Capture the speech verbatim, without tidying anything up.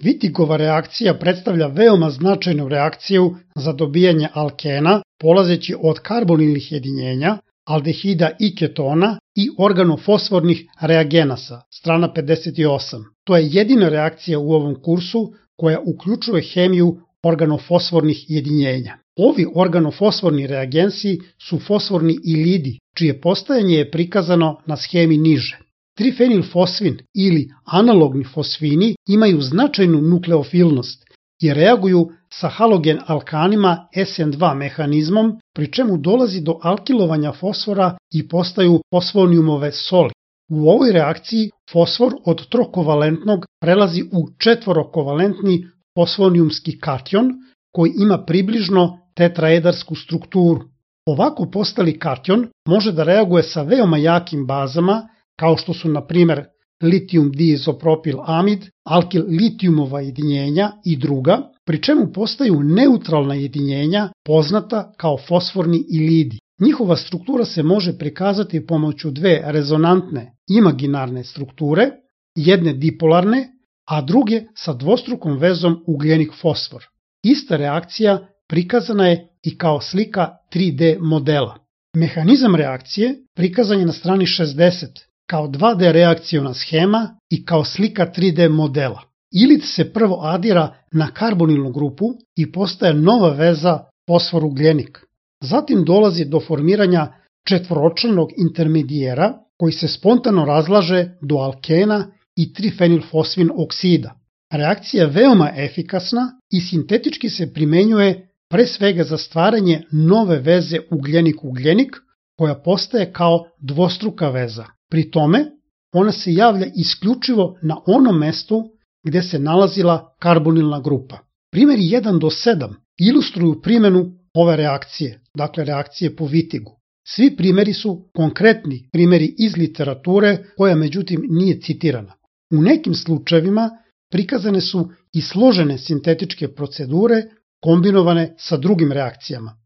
Wittigova reakcija predstavlja veoma značajnu reakciju za dobijanje alkena, polazeći od karbonilnih jedinjenja, aldehida i ketona i organofosfornih reagenasa, strana pedeset osam. To je jedina reakcija u ovom kursu koja uključuje hemiju organofosfornih jedinjenja. Ovi organofosforni reagensi su fosforni ilidi, čije postajanje je prikazano na schemi niže. Trifenilfosfin ili analogni fosfini imaju značajnu nukleofilnost i reaguju sa halogen alkanima S N dva mehanizmom, pri čemu dolazi do alkilovanja fosfora i postaju fosfonijumove soli. U ovoj reakciji fosfor od trokovalentnog prelazi u četvorokovalentni fosfonijumski kation koji ima približno tetraedarsku strukturu. Ovako postali kation može da reaguje sa veoma jakim bazama kao što su na primjer litijum diizopropil amid, alkil litijumova jedinjenja i druga, pri čemu postaju neutralna jedinjenja poznata kao fosforni ilidi. Njihova struktura se može prikazati pomoću dve rezonantne imaginarne strukture, jedne dipolarne, a druge sa dvostrukom vezom ugljenik-fosfor. Ista reakcija prikazana je i kao slika tri D modela. Mehanizam reakcije prikazan je na strani šezdeset kao dva D reakciona schema i kao slika tri D modela. Ilit se prvo adira na karbonilnu grupu i postaje nova veza fosfor-ugljenik. Zatim dolazi do formiranja četvoročlanog intermedijera koji se spontano razlaže do alkena i trifenilfosfin oksida. Reakcija je veoma efikasna i sintetički se primenjuje pre svega za stvaranje nove veze ugljenik-ugljenik koja postaje kao dvostruka veza. Pri tome, ona se javlja isključivo na onom mestu gde se nalazila karbonilna grupa. Primjeri jedan do sedam ilustruju primjenu ove reakcije, dakle reakcije po Wittigu. Svi primjeri su konkretni primjeri iz literature koja međutim nije citirana. U nekim slučajevima prikazane su i složene sintetičke procedure kombinovane sa drugim reakcijama.